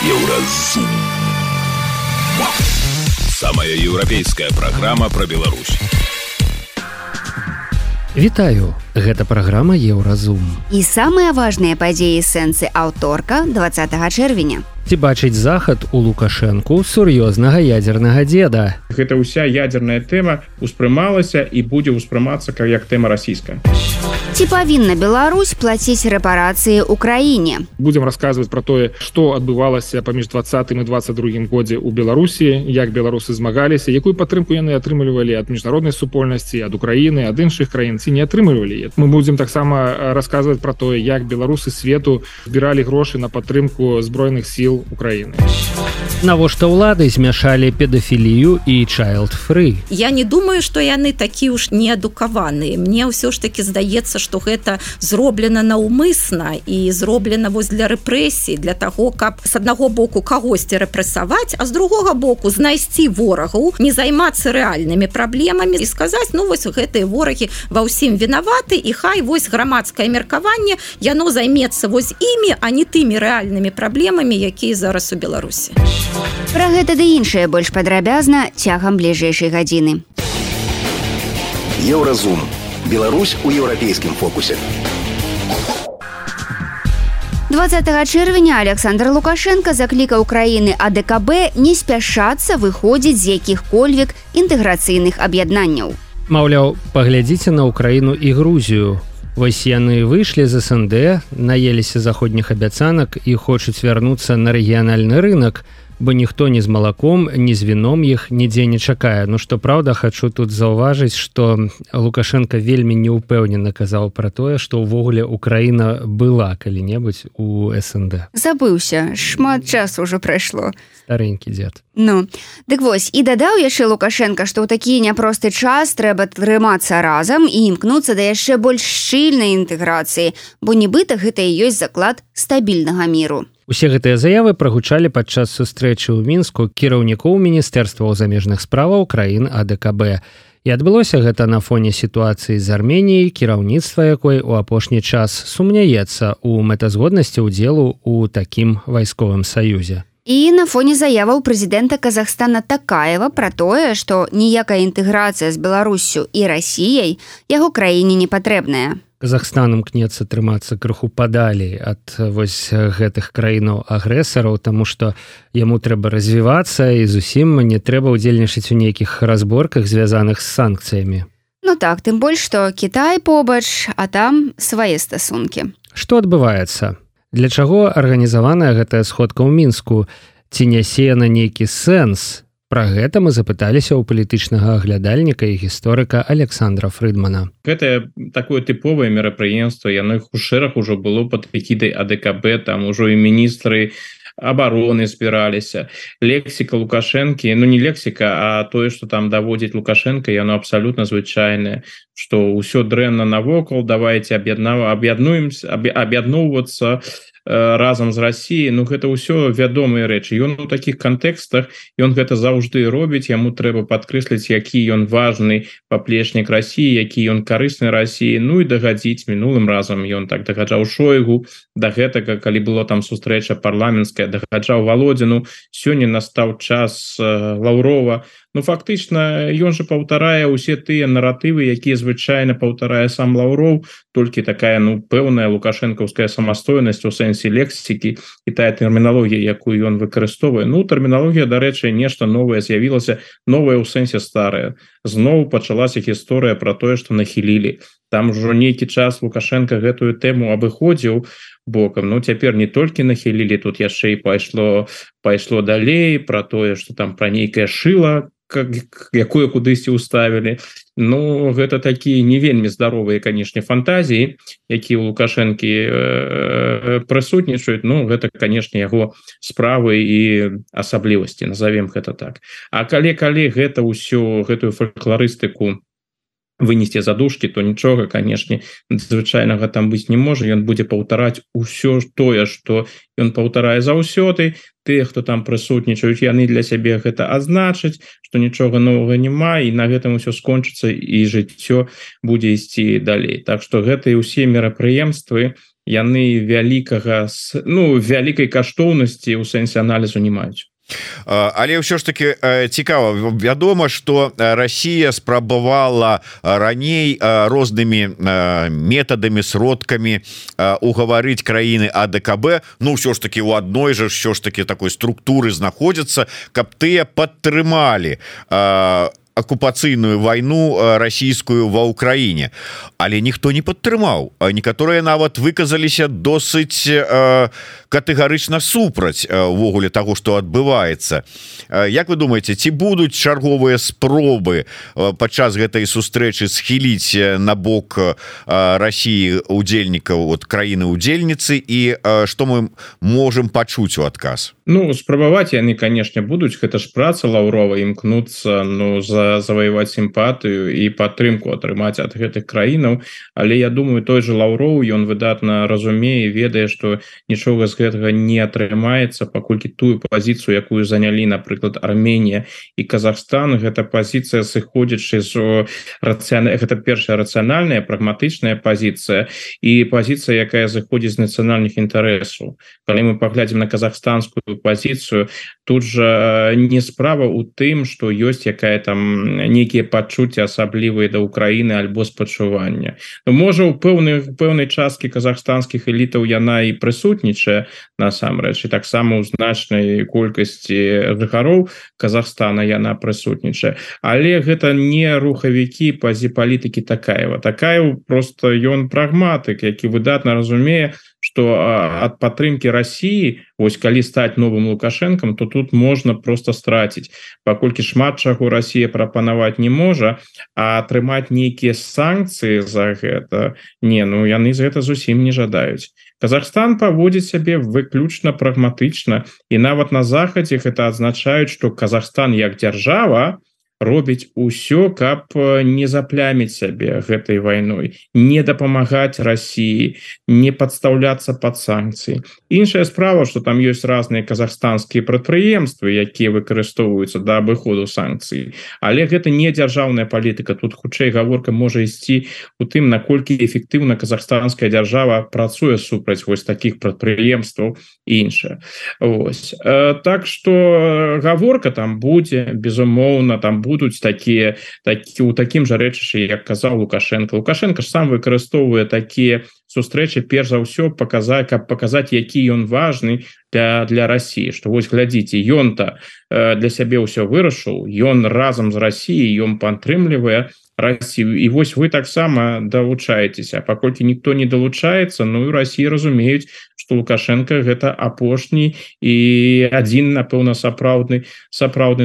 Еўразум. Самая еўрапейская праграма пра Беларусь. Вітаю, гэта праграма Еўразум. І самыя важныя падзеі сэнсы аўторка 20 чэрвеня. Ці бачыць захад у Лукашэнку сур'ёзнага ядзернага дзеда? Гэта ўся ядзерная тэма успрымалася і будзе ўспрымацца як тэма расійская. Ці павінна Беларусь плаціць рэпарацыі ўкраіне? Будзем расказваць пра тое, што адбывалася паміж 20 і 22 годзе ў Беларусі, як беларусы змагаліся, якую падтрымку яны атрымлівалі ад міжнароднай супольнасці, ад Украіны, ад іншых краін, ці не атрымлівалі. Мы будзем таксама расказваць пра тое, як беларусы свету збіралі грошы на падтрымку збройных сіл Украины. Навошта ўлады змяшалі педафілію і child-free? Я не думаю, што яны такі ўж неадукаваныя. Мне ўсё ж таки здаецца, што гэта зроблена наўмысна і зроблена вось для рэпрэсій, для таго, каб з аднаго боку кагосьці рэпрэсаваць, а з другога боку знайсці ворагаў, не займацца рэальнымі праблемамі і сказаць, ну вось гэтыя ворагі ва ўсім вінаваты, і хай вось грамадскае меркаванне, яно займецца вось імі, а не тымі рэальнымі праблемамі, якія зараз у Беларусі. Пра гэта ды іншае больш падрабязна цягам бліжэйшай гадзіны. Еўразум. Беларусь у еўрапейскім фокусе. 20 чэрвеня Александр Лукашенко заклікаў краіны АДКБ не спяшацца выходзіць з якіх-кольвек інтэграцыйных аб'яднанняў. Маўляў, паглядзіце на Украіну і Грузію. Вось яны выйшлі з СНД, наеліся заходніх абяцанак і хочуць вярнуцца на рэгіянальны рынак, бо ніхто ні з малаком, ні з віном іх нідзе не чакае. Ну, што праўда, хачу тут заўважыць, што Лукашенко вельмі неўпэўнена казаў пра тое, што ўвогуле Украіна была калі-небудзь у СНД. Забыўся, шмат часу ўжо прайшло. Старэнькі дзед. Ну, дык вось, і дадаў яшчэ Лукашенко, што ў такі няпросты час трэба трымацца разам і імкнуцца да яшчэ больш шчыльнай інтэграцыі, бо нібыта гэта і ёсць заклад стабільнага міру. Усе гэтыя заявы прагучалі падчас сустрэчы ў Мінску кіраўнікоў міністэрстваў замежных справаў краін АДКБ. І адбылося гэта на фоне сітуацыі з Арменіяй, кіраўніцтва якой у апошні час сумняецца ў мэтазгоднасці ўдзелу ў такім вайсковым саюзе. І на фоне заяваў прэзідэнта Казахстана Такаева пра тое, што ніякая інтэграцыя з Беларуссю і Расіяй яго краіне не патрэбная. Казахстан імкнецца трымацца крыху падалей ад вось гэтых краінаў-агрэсараў, таму што яму трэба развівацца і зусім не трэба ўдзельнічаць у нейкіх разборках, звязаных з санкцыямі. Ну так, тым больш, што Кітай побач, а там свае стасункі. Што адбываецца? Для чаго арганізаваная гэтая сходка ў Мінску? Ці нясе на нейкі сэнс? Пра гэта мы запыталіся ў палітычнага аглядальніка і гісторыка Александра Фрыдмана. Гэта такое тыповае мерапрыемства, яно іх у шэраг ужо было пад эгідай АДКБ, там ужо і міністры абароны збіраліся. Лексіка Лукашэнкі, ну не лексіка, а тое, што там даводзіць Лукашенко, яно абсалютна звычайнае, што ўсё дрэнна навокал, давайте аб'ядноўвацца разам з Расіяй. Ну гэта ўсё вядомыя рэчы. Ён у такіх кантэкстах, ён гэта заўжды робіць, яму трэба падкрэсліць, які ён важны паплечнік Расіі, які ён карысны Расіі. Ну і дагадзіць, мінулым разам ён так дагаджаў Шойгу, да гэтага, калі было там сустрэча парламенцкая, дагаджаў Володзіну. Сёння настаў час Лаўрова. Ну фактычна ён жа паўтарае ўсе тыя наратывы, якія звычайна паўтарае сам Лаўроў, толькі такая, ну, пэўная лукашэнкаўская самастойнасць у сэнсе лексікі і тая тэрміналогія, якую ён выкарыстоўвае. Ну, тэрміналогія, дарэчы, нешта новае з'явілася, новае ў сэнсе старае. Зноў пачалася гісторыя пра тое, што нахілілі. Там ужо нейкі час Лукашенко гэтую тэму абыходзіў бокам. Ну, цяпер не толькі нахілілі, тут яшчэ і пайшло далей пра тое, што там пра нейкае шыла, якое кудысьці ўставілі. Ну, гэта такія не вельмі здаровыя, канешне, фантазіі, якія ў Лукашэнкі прысутнічаюць. Ну, гэта, канешне, яго справы і асаблівасці, назовем гэта так. А калі гэта ўсё, гэтую фалькларыстыку вынесці задушкі, то нічога, канешне, звычайнага там быць не можа. Ён будзе паўтараць усё тое, што ён паўтарае заўсёды. Тыя, хто там прысутнічаюць, яны для сябе гэта азначаць, што нічога новага няма, і на гэтым усё скончыцца, і жыццё будзе ісці далей. Так што гэта і ўсе мерапрыемствы, яны вялікай каштоўнасці ў сэнсе аналізу не маюць. Але ўсё ж таки цікава, вядома, што Расія спрабавала раней рознымі метадамі, сродкамі угаварыць краіны АДКБ, ну ўсё ж таки у адной жа ўсё ж таки такой структуры знаходзяцца, каб тыя падтрымалі акупацыйную вайну расійскую ва ўкраіне, але ніхто не падтрымаў. Некаторыя нават выказаліся досыць катэгарычна супраць увогуле таго, што адбываецца. Як вы думаеце, ці будуць чарговыя спробы падчас гэтай сустрэчы схіліць на бок Расіі удзельнікаў от краіны-удзельніцы, і што мы можам пачуць у адказ? Ну, спрабаваць яны, канешне, будуць. Гэта ж праца Лаўрова, імкнуцца заваяваць сімпатыю і падтрымку атрымаць ад гэтых краінаў, але я думаю, той же Лаўроў, ён выдатна разумее, ведае, што нічога з гэтага не атрымаецца, паколькі тую пазіцыю, якую занялі, напрыклад, Арменія і Казахстан, гэта пазіцыя сыходзячы з гэта першая рацыянальная, прагматычная пазіцыя і пазіцыя, якая зыходзіць з нацыянальных інтарэсаў. Калі мы паглядзім на казахстанскую пазіцыю, тут жа не справа ў тым, што ёсць якая там нейкія пачуцці асаблівыя да Украіны альбо спачування. Можа, у пэўнай часткі казахстанскіх элітаў яна і прысутнічае насамрэч, і таксама ў значнай колькасці жыхароў Казахстана яна прысутнічае. Але гэта не рухавікі палітыкі Такаева. Такаев просто ён прагматык, які выдатна разумее, што ад падтрымкі Расіі, вось калі стаць новым Лукашэнкам, то тут можна просто страціць, паколькі шмат чаго Расія прапанаваць не можа, а атрымаць нейкія санкцыі за гэта яны з гэта зусім не жадаюць. Казахстан паводзіць сябе выключна прагматычна, і нават на захадзе гэта адзначаюць, што Казахстан як дзяржава робіць усё, каб не запляміць сябе гэтай вайной, не дапамагаць Расіі, не падстаўляцца пад санкцыі. Іншая справа, што там ёсць разныя казахстанскія прадпрыемствы, якія выкарыстоўваюцца да абыходу санкцый, але гэта не дзяржаўная палітыка. Тут хутчэй гаворка можа ісці у тым, наколькі эфектыўна казахстанская дзяржава працуе супраць вось такіх прадпрыемстваў і іншае. Так што гаворка там будзе, безумоўна, там будуць такія у такім жа рэчышчы, як казаў Лукашенко. Лукашенко ж сам выкарыстоўвае такія сустрэчы перш за ўсё каб паказаць, які ён важны для Расіі, што вось глядзіце, ён-то для сябе ўсё вырашыў, ён разам з Расіяй, ён падтрымлівае Расію, і вось вы таксама далучаецеся. Паколькі ніхто не далучаецца, і Расіі разумеюць, што Лукашенко гэта апошні і адзін, напэўна, сапраўдны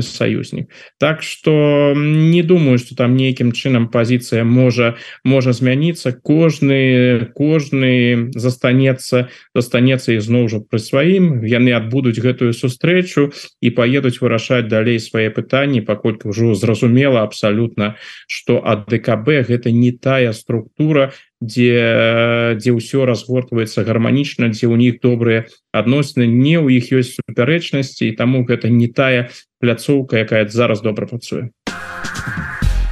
саюзнік. Так што не думаю, што там нейкім чынам пазіцыя можа змяніцца. Кожны застанецца ізноў жа пры сваім, яны адбудуць гэтую сустрэчу і паедуць вырашаць далей свае пытанні, паколькі ўжо зразумела абсалютна, што АДКБ гэта не тая структура, дзе ўсё разгортваецца гарманічна, дзе ў них добрыя адносіны, не ў іх ёсць супярэчнасці, і таму гэта не тая пляцоўка, якая зараз добра працуе.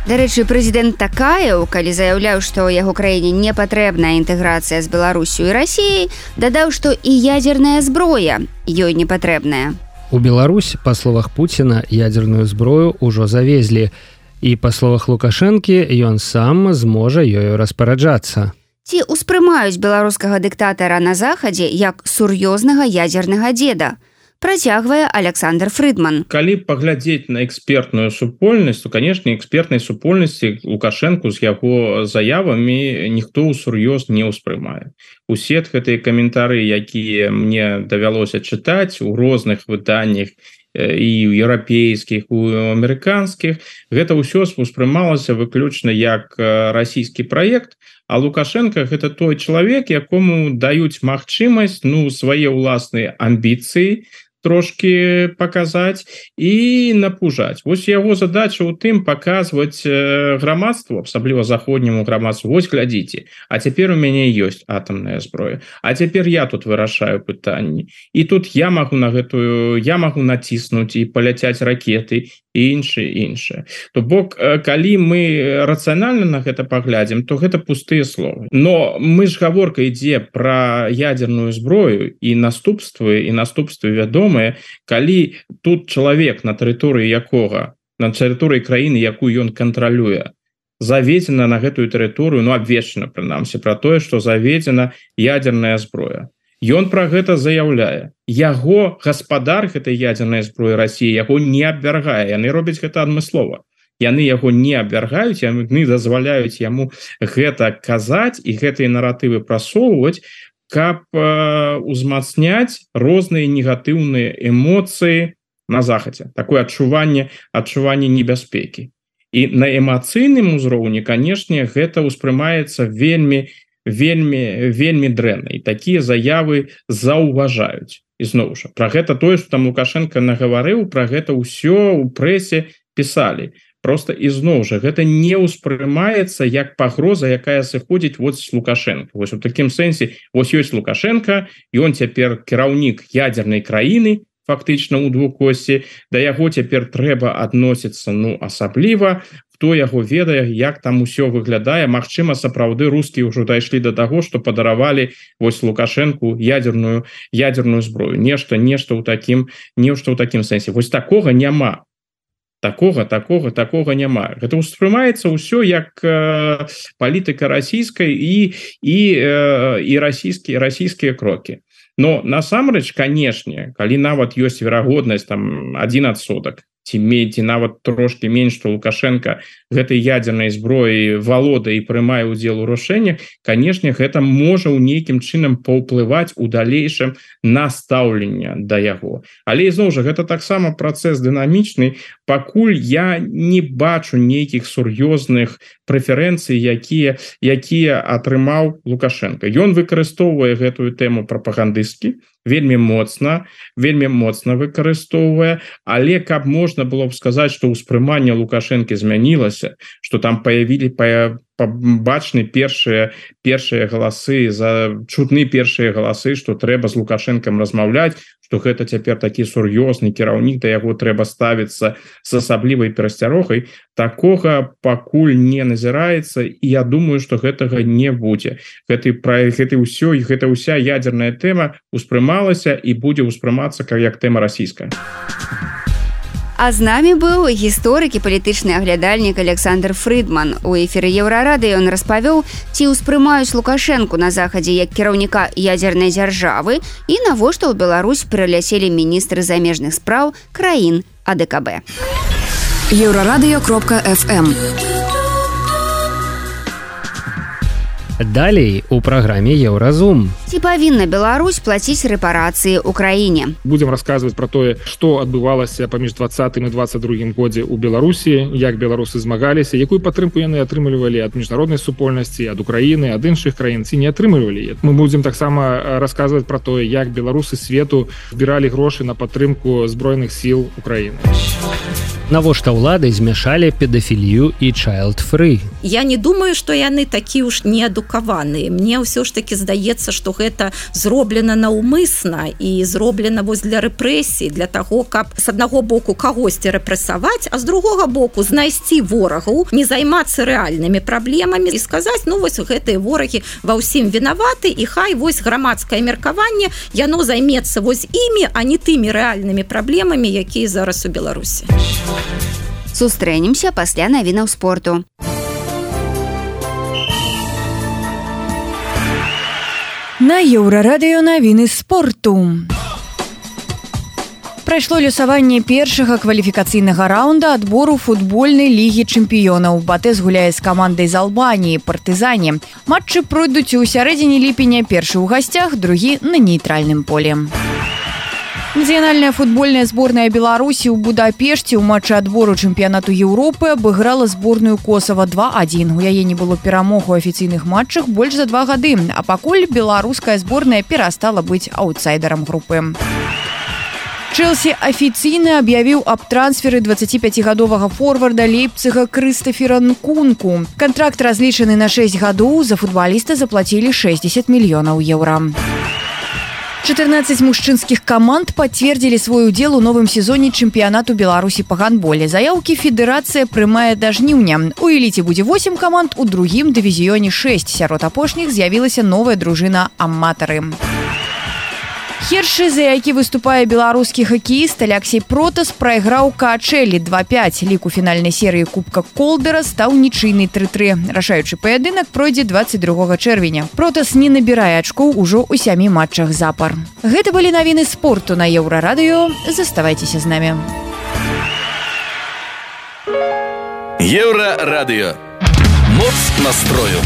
Дарэчы, прэзідэнт Такаеў, калі заяўляў, што яго краіне не патрэбная інтэграцыя з Беларусю і Расіяй, дадаў, што і ядзерная зброя ёй не патрэбная. У Беларусь, па словах Пуціна, ядзерную зброю ўжо завезлі. І, па словах Лукашэнкі, ён сам зможа ёю распараджацца. Ці ўспрымаюць беларускага дыктатара на захадзе як сур'ёзнага ядзернага дзеда? Працягвае Александр Фрыдман. Калі паглядзець на экспертную супольнасць, то, канешне, экспертнай супольнасці Лукашэнку з яго заявамі ніхто ўсур'ёз не ўспрымае. Усе гэтыя каментары, якія мне давялося чытаць у розных выданнях, і ў еўрапейскіх, у амерыканскіх, гэта ўсё успрымалася выключна як расійскі праект, а Лукашенко гэта той чалавек, якому даюць магчымасць свае ўласныя амбіцыі трошки паказаць і напужаць. Вось яго задача ў тым паказваць грамадству, асабліва заходняму грамадству. Вось глядзіце, а цяпер у мяне ёсць атамная зброя, а цяпер я тут вырашаю пытанні. І тут я магу націснуць і паляцяць ракеты, і іншае. То бок, калі мы рацыянальна на гэта паглядзім, то гэта пустыя словы. Но мы ж гаворка ідзе пра ядерную зброю і наступствы вядомыя, калі тут чалавек на тэрыторыі краіны, якую ён кантралюе, заведзена на гэтую тэрыторыю, абвешчана прынамсі пра тое, што заведзена ядерная зброя. Ён пра гэта заяўляе. Яго гаспадар гэтай ядернай зброі Расіі яго не абвяргае. Яны робяць гэта адмыслова. Яны яго не абвяргаюць, яны дазваляюць яму гэта казаць і гэтыя наратывы прасоўваць, каб узмацняць розныя негатыўныя эмоцыі на захадзе. Такое адчуванне небяспекі. І на эмацыйным узроўні, канешне, гэта ўспрымаецца вельмі дрэнна. І такія заявы заўважаюць. І зноў жа, пра гэта тое, што там Лукашенко нагаварыў, пра гэта ўсё ў прэсе пісалі. Просто і зноў жа, гэта не ўспрымаецца як пагроза, якая сыходзіць з Лукашенко. У такім сэнсе, ёсць Лукашенко, і он цяпер кіраўнік ядернай краіны, фактычна ў двукосці, да яго цяпер трэба адносіцца асабліва, хто яго ведае, як там усё выглядае. Магчыма, сапраўды рускія ўжо дайшлі да таго, што падаравалі Лукашенку ядерную зброю. Нешта ў такім сэнсе. Такога няма. Такога няма. Гэта ўспрымаецца ўсё як палітыка расійскай і расійскія крокі. Но насамрэч, канешне, калі нават ёсць верагоднасць 1%, ці нават трошки менш, што Лукашенко гэтай ядернай зброі валодае і прымае ўдзел у рашэннях, канешне, гэта можа ў нейкім чынам паўплываць у далейшым на стаўленне да яго. Але ізноў жа, гэта таксама працэс дынамічны, пакуль я не бачу нейкіх сур'ёзных прэферэнцый, якія атрымаў Лукашенко. Ён выкарыстоўвае гэтую тэму прапагандысцкі, вельмі моцна выкарыстоўвае, але каб можна было б сказаць, што ўспрыманне Лукашэнкі змянілася, што там бачны першыя галасы, чутны першыя галасы, што трэба з Лукашэнкам размаўляць, што гэта цяпер такі сур'ёзны кіраўнік, да яго трэба ставіцца з асаблівай перасцярогай, такога пакуль не назіраецца, і я думаю, што гэтага не будзе. Гэта ўся ядерная тэма ўспрымалася і будзе ўспрымацца як тэма расійская. А з намі быў гісторык і палітычны аглядальнік Александр Фрыдман. У эфіры Еўрарады ён распавёў, ці ўспрымаюць Лукашэнку на захадзе як кіраўніка ядзернай дзяржавы і навошта ў Беларусь прыляселі міністры замежных спраў краін АДКБ. Еўрарадыё.фм. Далей у праграме Еўразум. Ці павінна Беларусь плаціць рэпарацыі ўкраіне? Будзем расказваць пра тое, што адбывалася паміж 20 і 22 годзе ў Беларусі, як беларусы змагаліся, якую падтрымку яны атрымлівалі ад міжнароднай супольнасці, ад Украіны, ад іншых краін, ці не атрымлівалі. Мы будзем таксама расказваць пра тое, як беларусы свету збіралі грошы на падтрымку збройных сіл Украіны. Навошта ўлады змяшалі педафілію і child-free? Я не думаю, што яны такі ўж неадукаваныя. Мне ўсё ж таки здаецца, што гэта зроблена наўмысна і зроблена для рэпрэсій, для таго, каб з аднаго боку кагосьці рэпрэсаваць, а з другога боку знайсці ворагаў, не займацца рэальнымі праблемамі і сказаць, гэтыя ворагі ва ўсім вінаваты, і хай грамадскае меркаванне, яно займецца імі, а не тымі рэальнымі праблемамі, якія зараз у Беларусі. Сустрэнемся пасля навінаў спорту. На Еўрарадыё навіны спорту. Прайшло лёсаванне першага кваліфікацыйнага раўнда адбору футбольнай лігі чэмпіёнаў. Батэс гуляе з камандай з Албаніі, партызане. Матчы пройдуць у сярэдзіне ліпеня, першы ў гасцях, другі на нейтральным поле. Нацыянальная футбольная зборная Беларусі ў Будапешце ў матчы адбору чэмпіянату Еўропы абыграла зборную Косава 2-1. У яе не было перамог у афіцыйных матчах больш за 2 гады, а пакуль беларуская зборная перастала быць аўтсайдерам групы. Чэлсі афіцыйна аб'явіў аб трансферы 25гадовага форварда Лейпціга Крыстафера Нкунку. Кантракт разлічаны на 6 гадоў, за футбаліста заплацілі 60 мільёнаў еўра. 14 мужчынскіх каманд пацвердзілі свой удзел у новым сезоне чэмпіянату Беларусі па гандболе. Заяўкі федэрацыя прымае да жніўня. У эліце будзе 8 каманд, у другім дывізіёне 6. Сярод апошніх з'явілася новая дружына аматары. Хершы, за які выступае беларускі хакеіст Алексей Протас, прайграў Каачэлі 2-5. Лік у фінальнай серыі Кубка Колдера стаў нічыйны 3-3. Рашаючы паядынак пройдзе 22 чэрвеня. Протас не набірае ачкоў ужо ў 7 матчах запар. Гэта былі навіны спорту на Еўрарадыё. Заставайцеся з намі. Еўрарадыё. Моц настрою.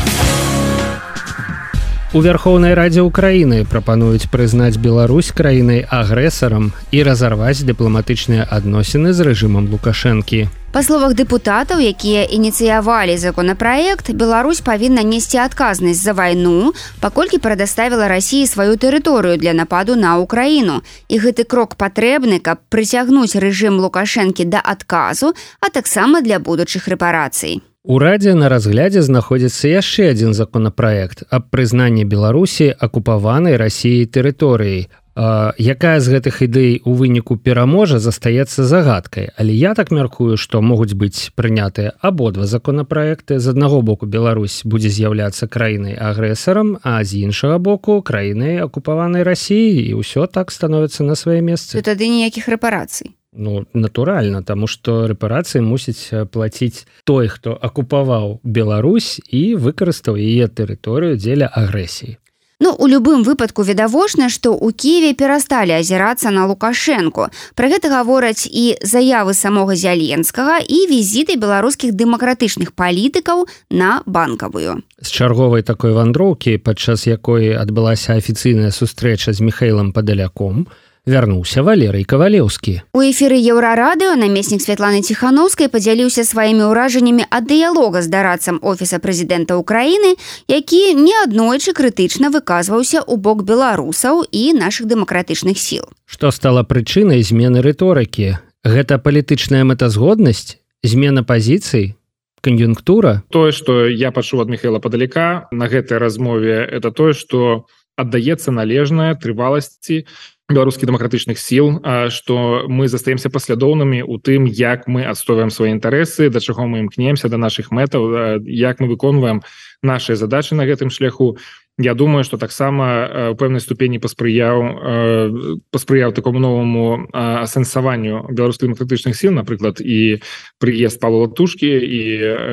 У Верховнай Радзе Украіны прапануюць прызнаць Беларусь краінай агрэсарам і разарваць дыпламатычныя адносіны з рэжымам Лукашэнкі. Па словах дэпутатаў, якія ініцыявалі законапраект, Беларусь павінна несці адказнасць за вайну, паколькі прадаставіла Расіі сваю тэрыторыю для нападу на Украіну. І гэты крок патрэбны, каб прыцягнуць рэжым Лукашэнкі да адказу, а таксама для будучых рэпарацый. У Радзе на разглядзе знаходзіцца яшчэ адзін законапраект аб прызнанні Беларусі акупаванай Расіяй тэрыторыяй. Якая з гэтых ідэй у выніку пераможа, застаецца загадкай, але я так мяркую, што могуць быць прынятыя абодва законапраекты. З аднаго боку Беларусь будзе з'яўляцца краінай агрэсарам, а з іншага боку краінай акупаванай Расіяй, і ўсё так становіцца на свае месцы. То тады ніякіх рэпарацый. Ну, натуральна, таму што рэпарацыі мусіць плаціць той, хто акупаваў Беларусь і выкарыстаў яе тэрыторыю дзеля агрэсіі. Ну, у любым выпадку відавочна, што ў Кіеве перасталі азірацца на Лукашэнку. Пра гэта гавораць і заявы самога Зяленскага, і візіты беларускіх дэмакратычных палітыкаў на Банкавую. З чарговай такой вандроўкі, падчас якой адбылася афіцыйная сустрэча з Міхаілам Падаляком, вярнуўся Валерый Кавалеўскі. У эфіры Еўрарадыё намеснік Святланы Ціханаўскай падзяліўся сваімі ўражаннямі ад дыялога з дарадцам Офіса прэзідэнта Ўкраіны, які неаднойчы крытычна выказваўся ў бок беларусаў і нашых дэмакратычных сіл. Што стала прычынай змены рыторыкі? Гэта палітычная мэтазгоднасць? Змена пазіцый? Кан'юнктура? Тое, што я пачуў ад Міхаіла Падаляка на гэтай размове, это тое, што аддаецца належнае трываласці беларускіх дэмакратычных сіл, што мы застаемся паслядоўнымі ў тым, як мы адстойваем свае інтарэсы, да чаго мы імкнемся, да нашых мэтаў, як мы выконваем нашыя задачы на гэтым шляху. Я думаю, што таксама ў пэўнай ступені паспрыяў такому новаму асэнсаванню беларускіх дэмакратычных сіл, напрыклад, і прыезд Павла Латушкі і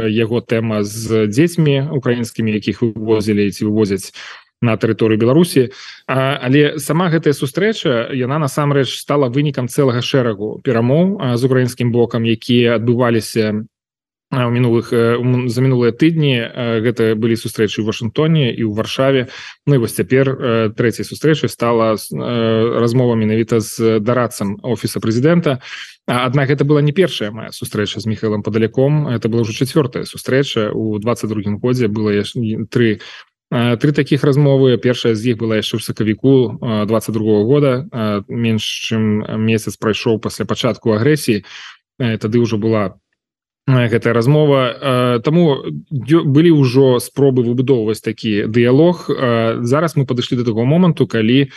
яго тэма з дзецьмі украінскімі, якіх вывозілі ці вывозяць на тэрыторыю Беларусі, але сама гэтая сустрэча, яна насамрэч стала вынікам цэлага шэрагу перамоў з украінскім бокам, якія адбываліся за мінулыя тыдні. Гэта былі сустрэчы ў Вашынгтоне і ў Варшаве. Ну і вось цяпер трэцяй сустрэчай стала размова менавіта з дарадцам Офіса прэзідэнта. Аднак гэта была не першая моя сустрэча з Міхаілам Падаляком, это была ўжо 4-я сустрэча. У 22-м годзе было три такіх размовы. Першая з іх была яшчэ ў сакавіку 22-го года, менш чым месяц прайшоў пасля пачатку агрэсіі. Тады ўжо была гэтая размова. Таму былі ўжо спробы выбудоўваць такі дыялог. Зараз мы падышлі да таго моманту, калі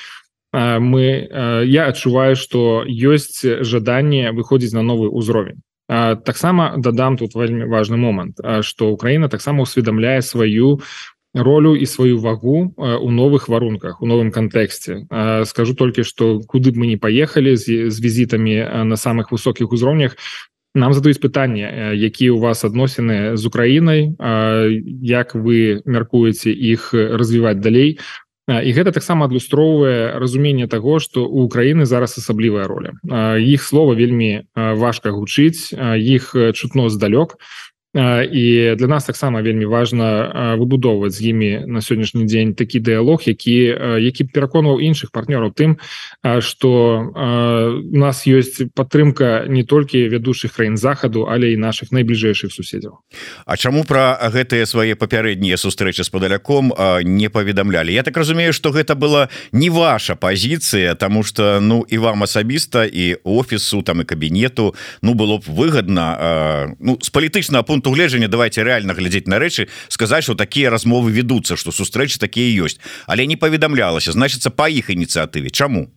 я адчуваю, што ёсць жаданне выходзіць на новы ўзровень. Таксама дадам тут вельмі важны момант, што Украіна таксама усведамляе сваю ролю і сваю вагу у новых варунках, у новым кантэксце. Скажу толькі, што куды б мы не паехалі з візітамі на самых высокіх узроўнях, нам задаюць пытанне, якія ў вас адносіны з Украінай, як вы мяркуеце іх развіваць далей. І гэта таксама адлюстроўвае разуменне таго, што ў Украіны зараз асаблівая роля. Іх слова вельмі важка гучыць, іх чутно здалёк. І для нас таксама вельмі важна выбудоўваць з імі на сённяшні дзень такі дыялог, які пераконваў іншых партнёраў тым, што у нас ёсць падтрымка не толькі вядучых краін захаду, але і нашых найбліжэйшых суседзяў. А чаму пра гэтыя свае папярэднія сустрэчы з Падаляком не паведамлялі? Я так разумею, што гэта была не ваша пазіцыя, таму што і вам асабіста, і офісу, там і кабінету было б выгадна з палітычнага пункту пункту гледжання давайте реально глядзець на рэчы, сказаць, што такія размовы ведуцца, што сустрэчы такія ёсць, але не паведамлялася, значыцца па іх ініцыятыве. Чаму?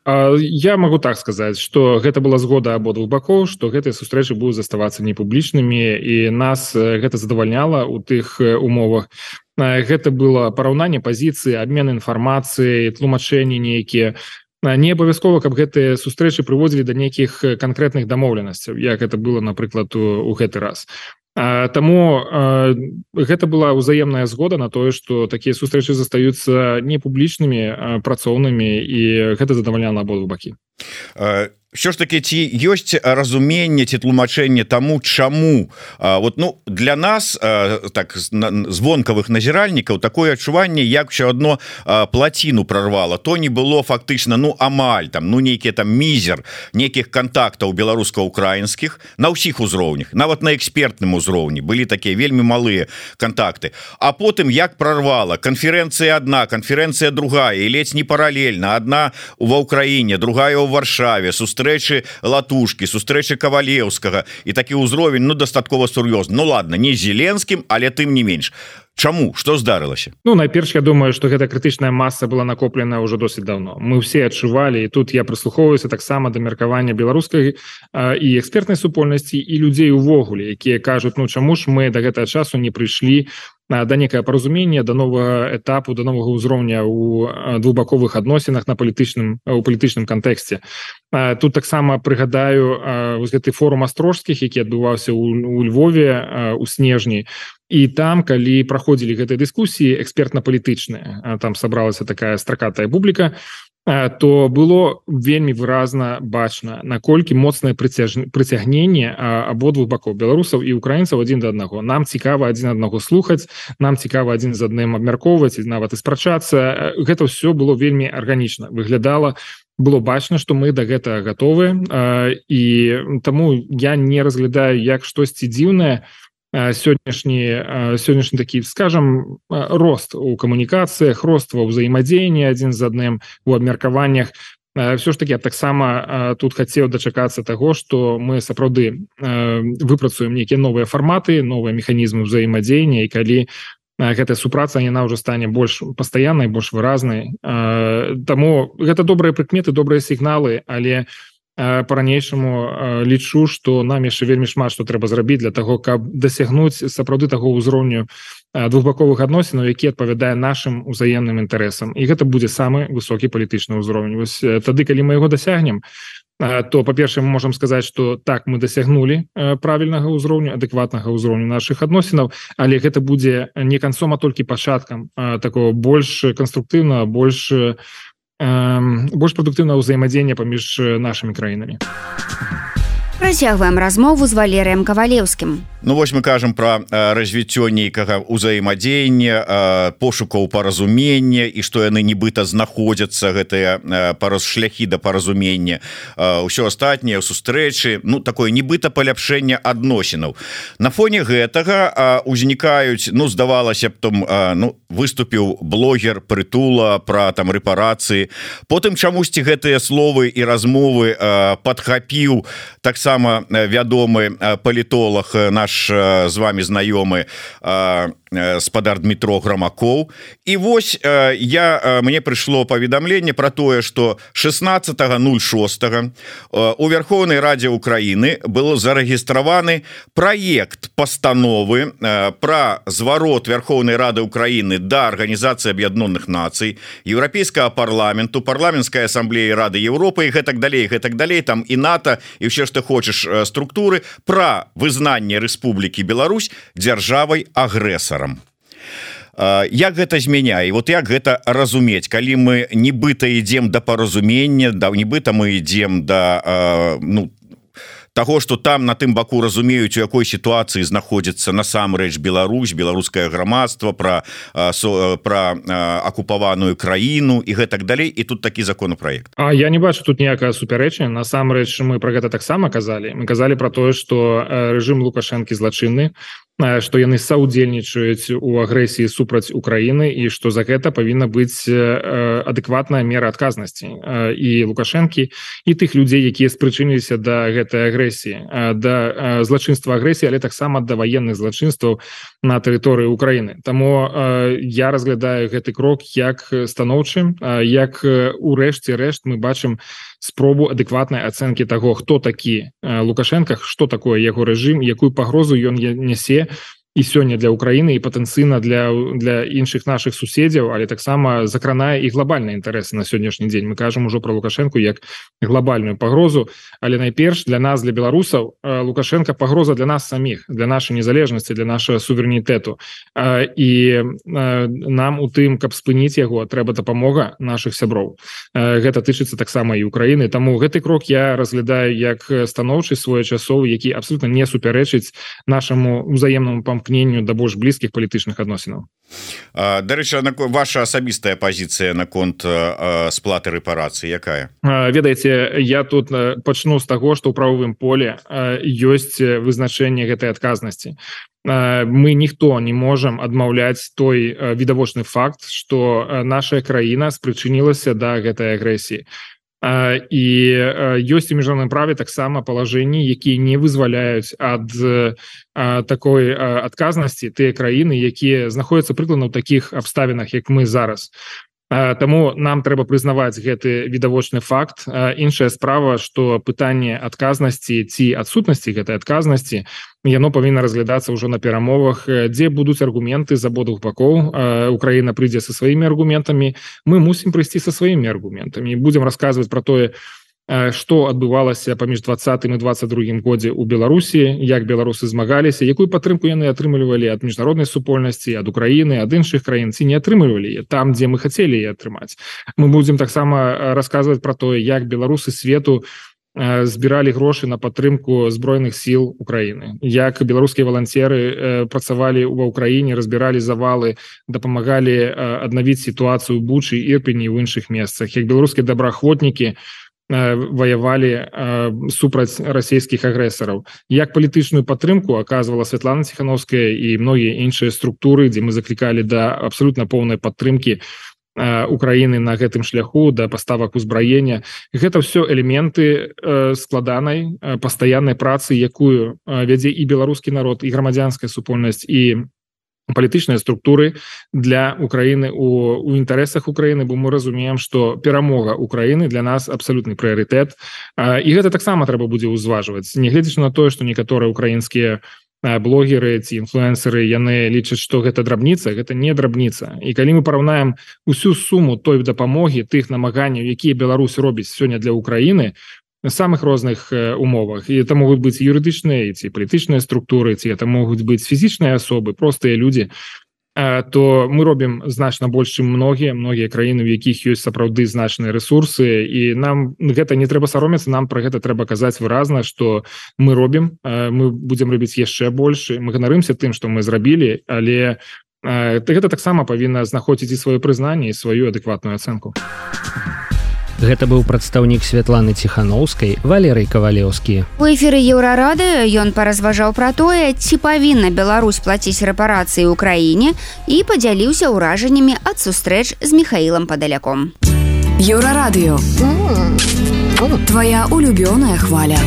Я могу так сказаць, што гэта была згода абодвух бакоў, што гэтыя сустрэчы будуць заставацца непублічнымі, і нас гэта задавальняла ў тых умовах. Гэта было параўнанне пазіцыі, абмен інфармацыяй, тлумачэнні нейкія. Не абавязкова, каб гэтыя сустрэчы прыводзілі да нейкіх канкрэтных дамоўленасцяў, як гэта было, напрыклад, у гэты раз. Таму гэта была ўзаемная згода на тое, што такія сустрэчы застаюцца непублічнымі, працоўнымі, і гэта задавальняла абодвух бакі. Що ж таки, ці ёсць разуменне ці тлумачэнне таму, чаму вот, ну, для нас так звонкавых назіральнікаў такое адчуванне, як ўсё адно плаціну прорвала, то не было фактычна, ну, амаль там, ну, нейкі там мізер нейкіх кантактаў беларуска-украінскіх на ўсіх узроўнях, нават на экспертным узроўні былі такія вельмі малыя кантакты, а потым як прорвала, канферэнцыя адна, канферэнцыя другая, і ледзь не паралельна, адна ва ўкраіне, другая ў Варшаве, сустрэчы Латушкі, сустрэчы Кавалеўскага, і такі ўзровень, ну, дастаткова сур'ёзны. Ну ладно, не з Зеленскім, але тым не менш. Чаму? Што здарылася? Ну, найперш, я думаю, што гэта крытычная маса была накоплена ўжо досыць давно. Мы ўсе адчувалі, і тут я прыслухоўваюся таксама да меркавання беларускай і экспертнай супольнасці, і людзей увогуле, якія кажуць, ну, чаму ж мы да гэтага часу не прыйшлі да некае паразумення, да новага этапу, да новага ўзроўня ў двухбаковых адносінах у палітычным кантэксце. Тут таксама прыгадаю гэты форум астрожскіх, які адбываўся ў Львове у снежні, і там, калі праходзілі гэтыя дыскусіі экспертна-палітычныя, там сабралася такая стракатая публіка, то было вельмі выразна бачна, наколькі моцнае прыцягненне абодвух бакоў, беларусаў і украінцаў адзін да аднаго. Нам цікава адзін аднаго слухаць, нам цікава адзін з адным абмяркоўваць, нават і спрачацца. Гэта ўсё было вельмі арганічна, выглядала, было бачна, што мы да гэтага гатовы, і таму я не разглядаю як штосьці дзіўнае сённяшні такі, скажем, рост у камунікацыях, рост ва ўзаемадзеянні адзін з адным, у абмеркаваннях. Все ж таки, я таксама тут хацеў дачакацца таго, што мы сапраўды выпрацуем нейкія новыя фарматы, новыя механізмы ўзаемадзеяння, і калі гэтая супраца, яна ўжо стане больш пастаяннай, больш выразнай. Таму гэта добрыя прыкметы, добрыя сігналы, але по-ранейшаму лічу, што нам яшчэ вельмі шмат што трэба зрабіць для таго, каб дасягнуць сапраўды таго ўзроўню двухбаковых адносінаў, які адпавядае нашым узаемным інтарэсам. І гэта будзе самы высокі палітычны ўзровень. Вось тады, калі мы яго дасягнем, то, па-першае, мы можам сказаць, што так, мы дасягнулі правільнага ўзроўню, адэкватнага ўзроўню нашых адносінаў, але гэта будзе не канцом, а толькі пачаткам такого больш канструктыўнага, больш прадуктыўнага ўзаемадзеяння паміж нашымі краінамі. Працягваем размову з Валерыем Кавалеўскім. Ну вось мы кажам пра развіццё нейкага ўзаемадзеяння, пошукаў паразумення, і што яны нібыта знаходзяцца, гэтыя шляхі да паразумення, ўсё астатняе, сустрэчы, ну такое нібыта паляпшэнне адносінаў. На фоне гэтага узнікаюць, ну здавалася б, там, ну, выступіў блогер Притула пра там рэпарацыі, потым чамусьці гэтыя словы і размовы падхапіў таксама вядомы палітолог, наш з вами знаёмы спадар Дмітро Грамакоў. І вось мне прыйшло паведамленне пра тое, што 16.06 у Верховнай Радзе Украіны было зарэгістраваны праект пастановы пра зварот Верховнай Рады Украіны да Арганізацыі Аб'яднёных Нацый, Еўрапейскага парламенту, парламенцкай асамблеі Рады Еўропы і гэтак далей, там і НАТО, і ўсё, што хочаш структуры, пра вызнанне Рэспублікі Беларусь дзяржавай-агрэсарам. Як гэта змяняе? Вот як гэта разумець, калі мы нібыта ідзем да паразумення, нібыта мы ідзем да таго, што там на тым баку разумеюць, у якой сітуацыі знаходзіцца насамрэч Беларусь, беларускае грамадства, пра акупаваную краіну і гэтак далей, і тут такі законапраект. Я не бачу тут ніякага супярэчання. Насамрэч мы пра гэта таксама казалі. Мы казалі пра тое, што рэжым Лукашэнкі злачынны, што яны саўдзельнічаюць у агрэсіі супраць Украіны, і што за гэта павінна быць адэкватная мера адказнасці і Лукашэнкі, і тых людзей, якія спрычыніліся да гэтай агрэсіі агрэсіі да злачынства агрэсіі, але таксама да ваенных злачынстваў на тэрыторыі Украіны. Таму я разглядаю гэты крок як станоўчым, як у рэшце рэшт мы бачым спробу адэкватнай ацэнкі таго, хто такі Лукашенко, што такое яго рэжым, якую пагрозу ён нясе і сёння для Украіны і патэнцыйна для іншых нашых суседзяў, але таксама закранае і глобальныя інтарэсы на сённяшні дзень. Мы кажам ужо про Лукашенко як глобальную пагрозу, але найперш для нас, для беларусаў, Лукашенко пагроза для нас саміх, для нашай незалежнасці, для нашага суверэнітэту. І нам у тым, каб спыніць яго, трэба дапамога нашых сяброў. Гэта тычыцца таксама і Украіны. Таму гэты крок я разглядаю як станоўчы своечасовы, які абсолютна не супярэчыць нашаму узаемнаму памкненню да больш блізкіх палітычных адносінаў. Дарэчы, ваша асабістая пазіцыя наконт сплаты рэпарацыі якая? Ведаеце, я тут пачну з таго, што ў правовым поле ёсць вызначэнне гэтай адказнасці. Мы ніхто не можам адмаўляць той відавочны факт, што наша краіна спрычынілася да гэтай агрэсіі. І ёсць у міжнародным праве таксама палажэнні, якія не вызваляюць ад такой адказнасці тыя краіны, якія знаходзяцца прыкладна ў такіх абставінах, як мы зараз. Таму нам трэба прызнаваць гэты відавочны факт. Іншая справа, што пытанне адказнасці ці адсутнасці гэтай адказнасці, яно павінна разглядацца ўжо на перамовах, дзе будуць аргументы з абодвух бакоў. Украіна прыйдзе са сваімі аргументамі, мы мусім прыйсці са сваімі аргументамі. Будзем расказваць пра тое, што адбывалася паміж 20-м і 22-м годзе ў Беларусі, як беларусы змагаліся, якую падтрымку яны атрымлівалі ад міжнароднай супольнасці, ад Украіны, ад іншых краін, ці не атрымлівалі там, дзе мы хацелі яе атрымаць. Мы будзем таксама расказваць пра тое, як беларусы свету збіралі грошы на падтрымку збройных сіл Украіны, як беларускія валанцеры працавалі ва Ўкраіне, разбіралі завалы, дапамагалі аднавіць сітуацыю ў Бучы, Ірпені і ў іншых месцах, як беларускія добраахвотнікі ваявалі супраць расійскіх агрэсараў. Як палітычную падтрымку аказвала Святлана Ціхановская і многія іншыя структуры, дзе мы заклікалі да абсалютна поўнай падтрымкі Украіны на гэтым шляху, да паставак узбраення. Гэта ўсё элементы складанай, пастаяннай працы, якую вядзе і беларускі народ, і грамадзянская супольнасць, і палітычныя структуры для Украіны у інтарэсах Украіны, бо мы разумеем, што перамога Украіны для нас абсалютны прыярытэт. І гэта таксама трэба будзе ўзважваць. Нягледзячы на тое, што некаторыя украінскія блогеры ці інфлюэнсеры, яны лічаць, што гэта драбніца, гэта не драбніца. І калі мы параўнаем усю суму той дапамогі, тых намаганняў, якія Беларусь робіць сёння для Украіны, на самых розных умовах. І это могуць быць юрыдычныя ці палітычныя структуры, ці это могуць быць фізічныя асобы, простыя людзі, то мы робім значна больш, чым многія краіны, у якіх ёсць сапраўды значныя рэсурсы, і нам гэта не трэба саромецца, нам пра гэта трэба казаць выразна, што мы робім, мы будзем рабіць яшчэ больш, мы ганарымся тым, што мы зрабілі, але гэта таксама павінна знаходзіць і сваё прызнанне, і сваю адэкватную ацэнку. Гэта быў прадстаўнік Святланы Ціхановскай Валерый Кавалеўскі. У эфіры Еўрарадыё ён паразважаў пра тое, ці павінна Беларусь плаціць рэпарацыі ўкраіне, і падзяліўся ўражаннямі ад сустрэч з Міхаілам Падаляком. Еўрарадыё. Твоя улюбёная хваля.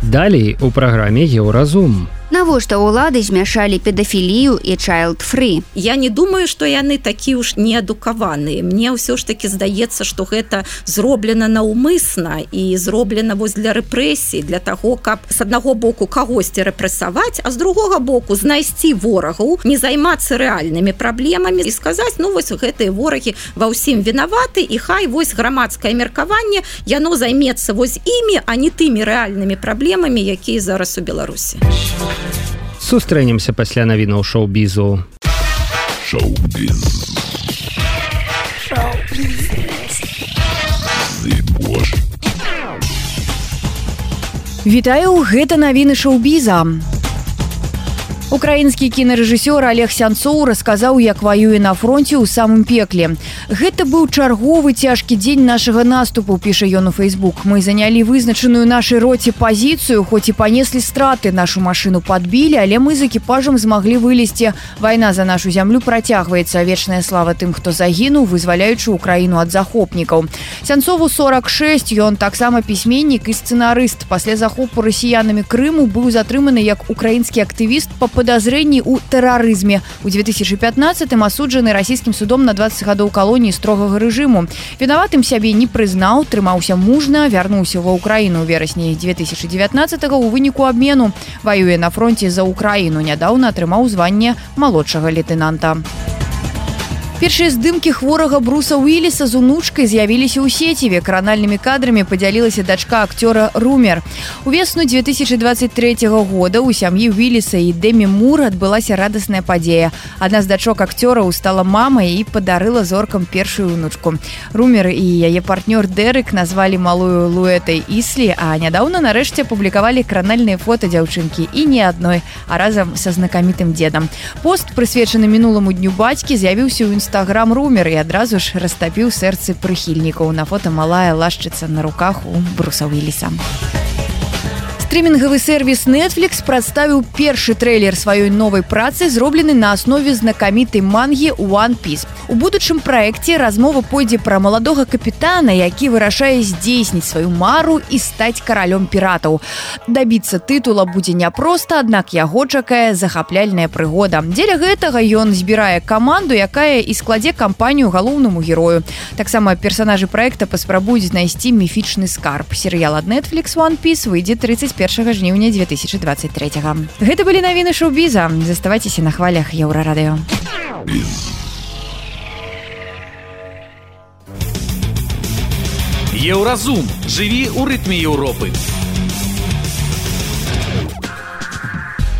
Далей у праграме Еўразум. Навошта ўлады змяшалі педафілію і чайлд-фрі? Я не думаю, што яны такі ўж неадукаваныя. Мне ўсё ж таки здаецца, што гэта зроблена наўмысна і зроблена вось для рэпрэсій, для таго, каб з аднаго боку кагосьці рэпрэсаваць, а з другога боку знайсці ворагаў, не займацца рэальнымі праблемамі і сказаць, ну вось гэтыя ворагі ва ўсім вінаваты, і хай вось грамадскае меркаванне, яно займецца вось імі, а не тымі рэальнымі праблемамі, якія зараз у Беларусі. Сустрэнемся пасля навінаў шоу-бізу. Шоу-біз. Вітаю, гэта навіны шоу-біза. Украінскі кінарэжысёр Олег Сянцоў расказаў, як ваюе на фронте ў самым пекле. Гэта быў чарговы цяжкі дзень нашага наступу, піша ён у Facebook. Мы занялі вызначаную нашай роце пазіцыю, хоць і панеслі страты, нашу машыну падбілі, але мы з экіпажам змаглі вылезці. Вайна за нашу зямлю працягваецца. Вечная слава тым, хто загінуў, вызваляючы Украіну ад захопнікаў. Сянцову 46, ён таксама пісьменнік і сцэнарыст. Пасля захопу расіянамі Крыму быў затрыманы як украінскі актывіст па подозрении у терроризме. У 2015-м асуджаны расійскім судом на 20 гадоў калоніі строгага рэжыму. Вінаватым сябе не прызнаў, трымаўся мужна, вярнуўся ва Украіну ў верасні 2019-го у выніку абмену. Ваюе на фронте за Украіну, нядаўна атрымаў званне малодшага лейтенанта. Першыя здымкі хворага Бруса Уиллиса з унучкай з'явіліся ў сеціве. Кранальнымі кадрамі падзялілася дачка акцёра Румер. Увесну 2023 года у сям'і Уиллиса і Дэмі Мур адбылася радасная падзея. Адна з дачок акцёраў стала мамай і падарыла зоркам першую унучку. Румер і яе партнёр Дэрык назвалі малую Луэтай Іслі, а нядаўна нарэшце апублікавалі кранальныя фота дзяўчынкі і не адной, а разам са знакамітым дзедам. Пост, прысвечаны мінуламу дню бацькі, з'явіўся ў Инстаграм Румер і адразу ж растапіў сэрцы прыхільнікаў. На фота малая лашчыца на руках у Бруса Уиллиса. Стрімінгавы сервіс Netflix прадставіў першы трэйлер сваёй новай працы, зроблены на аснове знакамітай мангі One Piece. У будучым праекце размова пойдзе пра маладога капітана, які вырашае здзейсніць сваю мару і стаць каралём піратаў. Дабіцца тытула будзе няпроста, аднак яго чакае захапляльная прыгода. Дзеля гэтага ён збірае каманду, якая і складзе кампанію галоўнаму герою. Таксама персанажы праекта паспрабуюць знайсці міфічны скарб. Серыял ад Netflix One Piece выйдзе 31 жніўня 2023-го. Гэта былі навіны шоу-біза. Заставайцеся на хвалях Еўрарадыё. Еўразум. Жыві ў рытме Еўропы.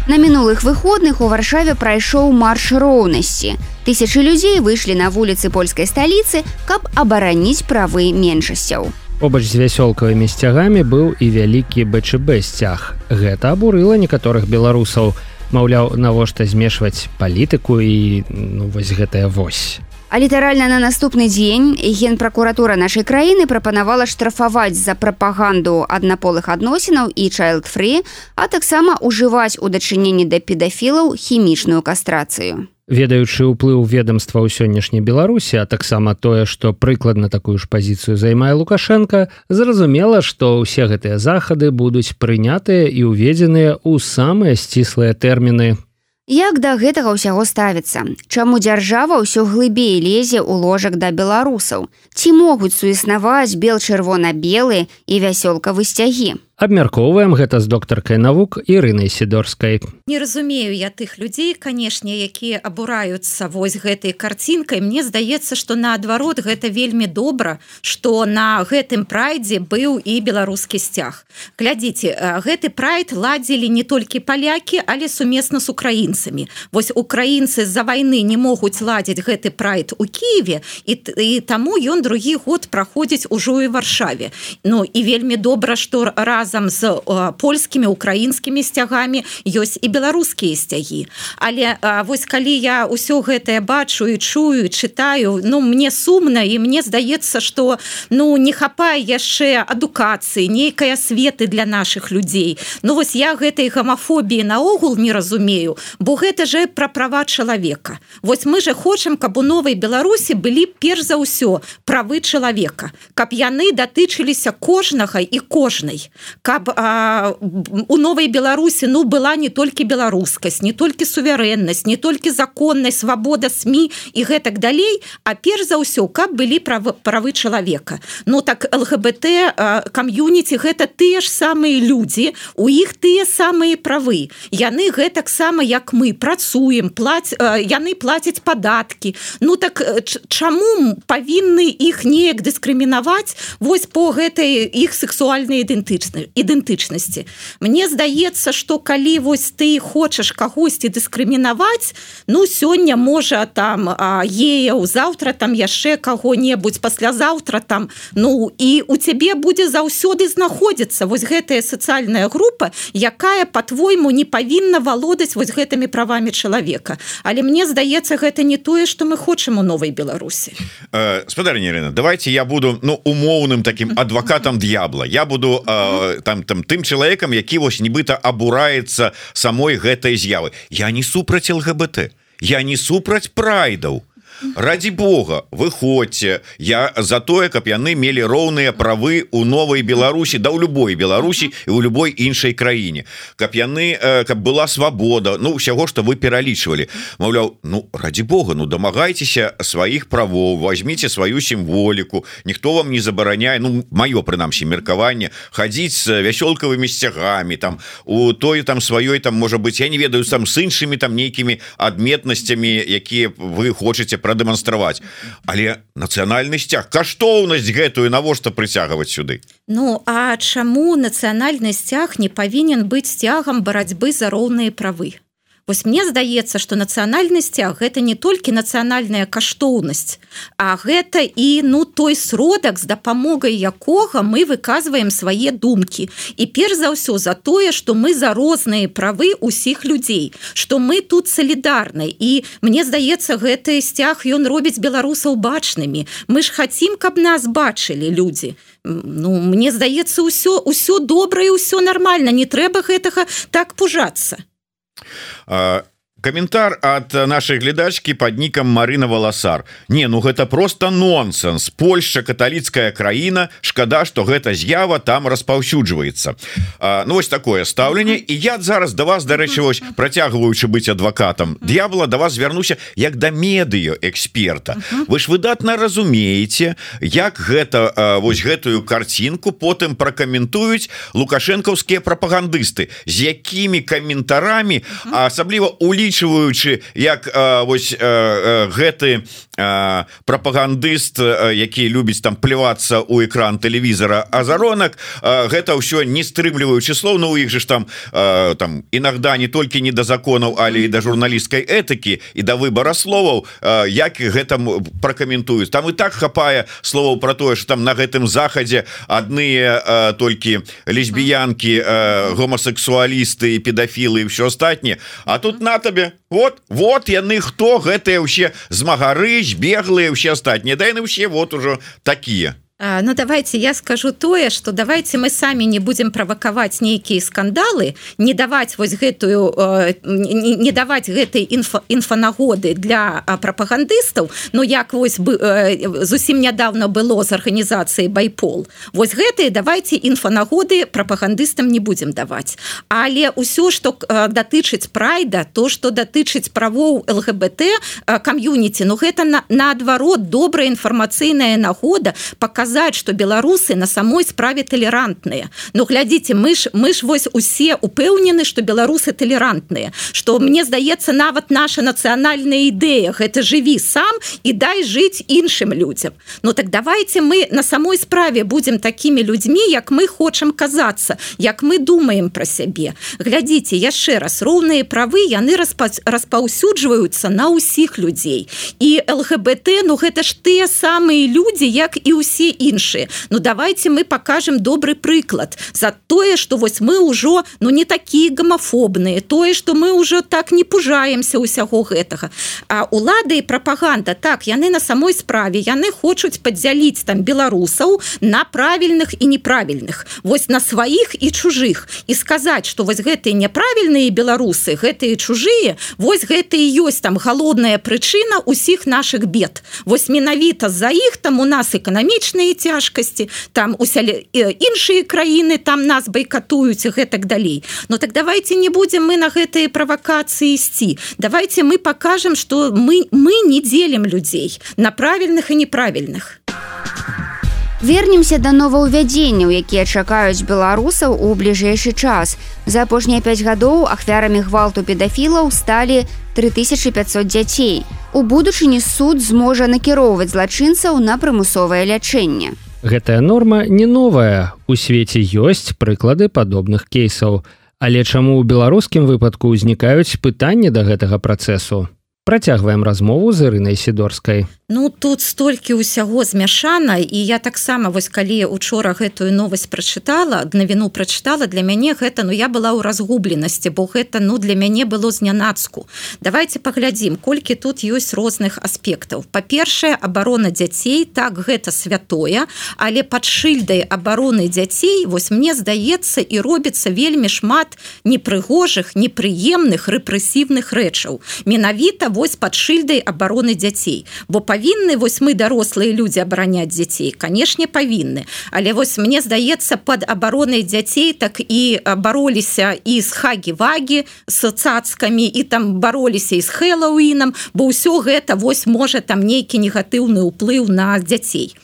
На мінулых выходных у Варшаве прайшоў марш роўнасці. Тысячы людзей выйшлі на вуліцы польскай сталіцы, каб абараніць правы меншасцяў. Побач з вясёлкавымі сцягамі быў і вялікі БЧБ сцяг. Гэта абурыла некаторых беларусаў. Маўляў, навошта змешваць палітыку і вось гэтая вось. А літаральна на наступны дзень генпракуратура нашай краіны прапанавала штрафаваць за прапаганду аднаполых адносінаў і child-free, а таксама ўжываць у дачыненні да педафілаў хімічную кастрацыю. Ведаючы ўплыў ведамства ў сённяшняй Беларусі, а таксама тое, што прыкладна такую ж пазіцыю займае Лукашенко, зразумела, што ўсе гэтыя захады будуць прынятыя і ўведзеныя ў самыя сціслыя тэрміны. Як да гэтага ўсяго ставіцца? Чаму дзяржава ўсё глыбей лезе ў ложак да беларусаў? Ці могуць суіснаваць бел-чырвона-белы і вясёлкавы сцягі? Абмяркоўваем гэта з доктаркай навук Ірынай Сідорскай. Не разумею я тых людзей, канешне, якія абураюцца вось гэтай карцінкай. Мне здаецца, што наадварот гэта вельмі добра, што на гэтым прайдзе быў і беларускі сцяг. Глядзіце, гэты прайд ладзілі не толькі палякі, але сумесна з украінцамі. Вось украінцы з-за вайны не могуць ладзіць гэты прайд у Кіеве, і таму ён другі год праходзіць ужо і Варшаве. Ну і вельмі добра, што разам з польскімі, украінскімі сцягамі ёсць і беларускія сцягі. Але вось калі я ўсё гэтае бачу і чую, і чытаю, мне сумна, і мне здаецца, што не хапае яшчэ адукацыі, нейкай асветы для нашых людзей. Вось я гэтай гамафобіі наогул не разумею, бо гэта же пра права чалавека. Вось мы же хочам, каб у новай Беларусі былі перш за ўсё правы чалавека, каб яны датычыліся кожнага і кожнай. Каб у новай Беларусі была не толькі беларускасць, не толькі суверэннасць, не толькі законнасць, свабода СМІ і гэтак далей, а перш за ўсё, каб былі правы чалавека. Так ЛГБТ кам'юніці гэта тыя ж самыя людзі, у іх тыя самыя правы. Яны гэтак сама, як мы, працуем, яны плацяць падаткі. Так чаму павінны іх неяк дыскрымінаваць вось по гэтай іх сексуальнай ідэнтычнасці? ідэнтычнасці. Мне здаецца, што калі вось ты хочаш кагосьці дыскрымінаваць, ну сёння можа там геяў, заўтра там яшчэ каго-небудзь, паслязаўтра там, ну і у цябе будзе заўсёды знаходзіцца вось гэтая сацыяльная група, якая по-твойму не павінна валодаць вось гэтымі правамі чалавека. Але мне здаецца, гэта не тое, што мы хочам у новай Беларусі. Спадарня Ірына, давайте я буду умоўным таким адвокатом д'ябла. Я буду тым чалавекам, які вось нібыта абураецца самой гэтай з'явы. Я не супраць ЛГБТ, я не супраць прайдаў. Ради Бога, выходзьце, я за тое, каб яны мелі роўныя правы у новай Беларусі, да ў любой Беларусі і ў любой іншай краіне, каб была свабода, ну ўсяго, што вы пералічвалі. Маўляў, ну ради Бога, ну дамагайцеся сваіх правоў, возьміце сваю сімволіку, ніхто вам не забараняе, ну маё прынамсі меркаванне, хадзіць з вясёлкавымі сцягамі, там у той там сваёй там можа быць, я не ведаю, там з іншымі там нейкімі адметнасцямі, якія вы хочаце прадэманстраваць, але нацыянальны сцяг, каштоўнасць гэтую навошта прыцягваць сюды? Ну а чаму нацыянальны сцяг не павінен быць сцягам барацьбы за роўныя правы? Вось мне здаецца, што нацыянальны сцяг гэта не толькі нацыянальная каштоўнасць, а гэта і той сродак, з дапамогай якога мы выказваем свае думкі. І перш за ўсё за тое, што мы за розныя правы ўсіх людзей, што мы тут салідарны. І мне здаецца, гэты сцяг ён робіць беларусаў бачнымі. Мы ж хацім, каб нас бачылі людзі. Ну, мне здаецца, ўсё добра і ўсё нармальна, не трэба гэтага так пужацца. Каментар ад нашай глядачкі пад нікам Марына Валасар. Не, ну гэта просто нонсенс. Польшча каталіцкая краіна, шкада, што гэта з'ява там распаўсюджваецца. Ну вось такое стаўленне. І я зараз да вас, дарэчы, вось працягваючы быць адвакатам д'ябла, да вас звярнуся як да медыё-эксперта. Вы ж выдатна разумееце, як гэта вось гэтую карцінку потым пракаментуюць лукашэнкаўскія прапагандысты, з якімі каментарамі, асабліва улічваючы як вось гэты прапагандыст, які любіць там плевацца ў экран тэлевізора азаронак, гэта ўсё не стрымліваючы слоў, но у іх же ж там інагда не толькі не да законаў, але і да журналісцкай этыкі і да выбара словаў, як гэта пракаментуюць. Там і так хапае словаў пра тое, што там на гэтым захадзе адныя толькі лесбіянкі, гомасексуалісты, педафілы і ўсё астатняе, а тут на табе вот яны хто, гэтыя ўсе змагары, збеглыя, ўсе астатнія, да яны ўсе вот ужо такія. Ну давайте я скажу тое, что давайте мы самі не будем правакаваць нейкія скандалы, не даваць вось гэтую не даваць гэтай інфанагоды для прапагандыстаў, ну як вось зусім нядаўна было з арганізацыяй Байпол. Вось гэтыя давайте інфанагоды прапагандыстам не будем даваць. Але ўсё, што датычыць прайда, то, што датычыць правоў ЛГБТ кам'юніці, ну гэта наадварот добрая інфармацыйная нагода паказаць, что беларусы на самой справе толерантныя. Ну глядзіце, мы ж вось усе упэўнены, что беларусы толерантныя, что мне здаецца нават наша нацыянальная ідэя, гэта жыві сам і дай жыць іншым людзям. Ну так давайте мы на самой справе будем такімі людзьмі, як мы хочам казацца, як мы думаем пра сябе. Глядзіце, яшчэ раз, роўныя правы яны распаўсюджваюцца на ўсіх людзей. І ЛГБТ, ну гэта ж тыя самыя людзі, як і ўсе іншыя. Ну давайте мы покажем добрый прыклад за тое, что вось мы ўжо не такія гомафобныя, тое, что мы ўжо так не пужаемся ўсяго гэтага. А улады і прапаганда, так, яны на самой справе, яны хочуць падзяліць там беларусаў на правільных і неправільных, вось на сваіх і чужых, і сказаць, что вось гэтыя няправільныя беларусы, гэтыя чужыя, вось гэта і ёсць там галоўная прычына ўсіх наших бед. Вось менавіта за іх там у нас эканамічныя цяжкасці, там іншыя краіны там нас байкатуюць і гэтак далей. Ну так давайте не будем мы на гэтыя правакацыі ісці. Давайте мы покажем, что мы не делим людзей на правільных і неправільных. Вернемся да новаўвядзенняў, якія чакаюць беларусаў у бліжэйшы час. За апошнія 5 гадоў ахвярамі гвалту педафілаў сталі 3500 дзяцей. У будучыні суд зможа накіроўваць злачынцаў на прымусовае лячэнне. Гэтая норма не новая. У свеце ёсць прыклады падобных кейсаў. Але чаму ў беларускім выпадку ўзнікаюць пытанні да гэтага працэсу? Працягваем размову з Ірынай Сідорскай. Ну, тут столькі ўсяго змяшана, і я таксама, вось калі учора гэтую новасць прачытала, навіну прачытала, для мяне гэта, я была ў разгубленасці, бо гэта, для мяне было знянацку. Давайте паглядзім, колькі тут ёсць розных аспектаў. Па-першае, абарона дзяцей, так, гэта святое, але пад шыльдай абароны дзяцей, вось мне здаецца, і робіцца вельмі шмат непрыгожых, непрыемных, рэпрэсіўных рэчаў. Менавіта вось пад шыльдай абароны дзяцей. Бо павінны вось мы, дарослыя людзі, абараняць дзяцей? Канешне, павінны. Але вось мне здаецца, пад абаронай дзяцей так і бароліся і з хагі-вагі, з цацкамі, і там бароліся і з Хэллоуінам, бо ўсё гэта вось можа там нейкі негатыўны ўплыў на дзяцей.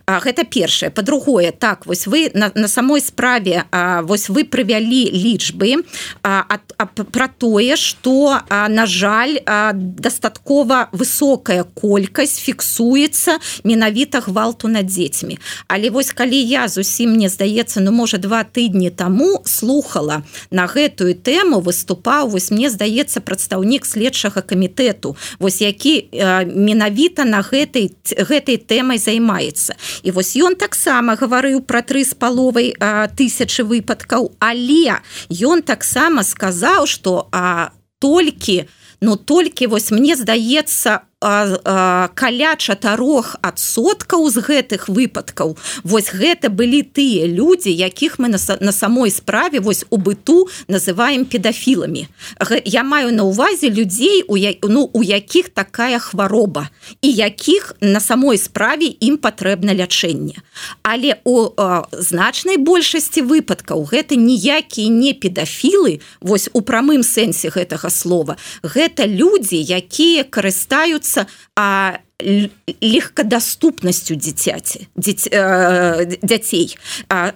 Гэта першае. Па-другое, так, вось вы на самой справе, вось вы прывялі лічбы пра тое, што, на жаль, дастаткова высокая колькасць фіксуецца менавіта гвалту над дзецьмі. Але вось калі я зусім, мне здаецца, можа 2 тыдні таму слухала на гэтую тэму, выступаў, вось мне здаецца, прадстаўнік следчага камітэту, вось які менавіта на гэтай тэмай займаецца. І вось ён таксама гаварыў пра 3,5 тысячы выпадкаў, але ён таксама сказаў, што толькі вось мне здаецца, каля 4% з гэтых выпадкаў вось гэта былі тыя людзі, якіх мы на самой справе вось у быту называем педафіламі. Я маю на ўвазе людзей, у якіх такая хвароба і якіх на самой справе ім патрэбна лячэнне. Але у значнай большасці выпадкаў гэта ніякія не педафілы, вось у прамым сэнсе гэтага слова. Гэта людзі, якія карыстаюцца легкадаступнасцю дзяцей.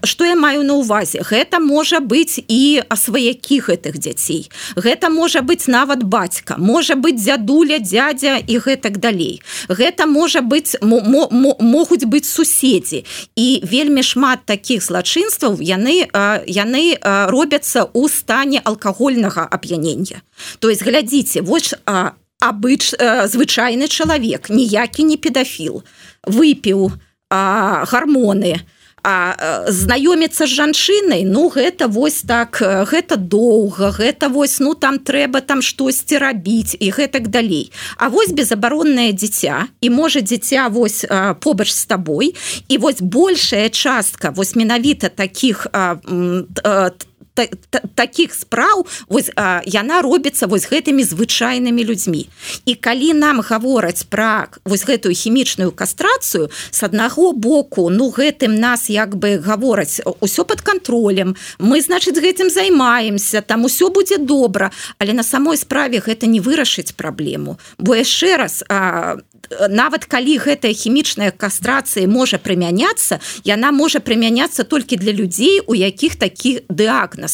Што я маю на ўвазе? Гэта можа быць і сваякі гэтых дзяцей. Гэта можа быць нават бацька, можа быць дзядуля, дзядзя і гэтак далей. Гэта можа быць, могуць быць суседзі. І вельмі шмат такіх злачынстваў яны робяцца ў стане алкагольнага ап'янення. То есть, глядзіце, вось звычайны чалавек, ніякі не педафіл, выпіў гармоны, знаёміцца з жанчынай, гэта вось так, гэта доўга, гэта вось, там трэба там штосьці рабіць і гэтак далей. А вось безабароннае дзіця, і можа дзіця вось побач з табой, і вось большая частка вось менавіта такіх спраў вось, яна робіцца вось гэтымі звычайнымі людзьмі. І калі нам гавораць пра вось гэтую хімічную кастрацыю, з аднаго боку, гэтым нас як бы гавораць, усё пад кантролем, мы, значыць, гэтым займаемся, там усё будзе добра, але на самой справе гэта не вырашыць праблему. Бо яшчэ раз, нават калі гэтая хімічная кастрацыя можа прымяняцца, яна можа прымяняцца толькі для людзей, у якіх такі дыягназ.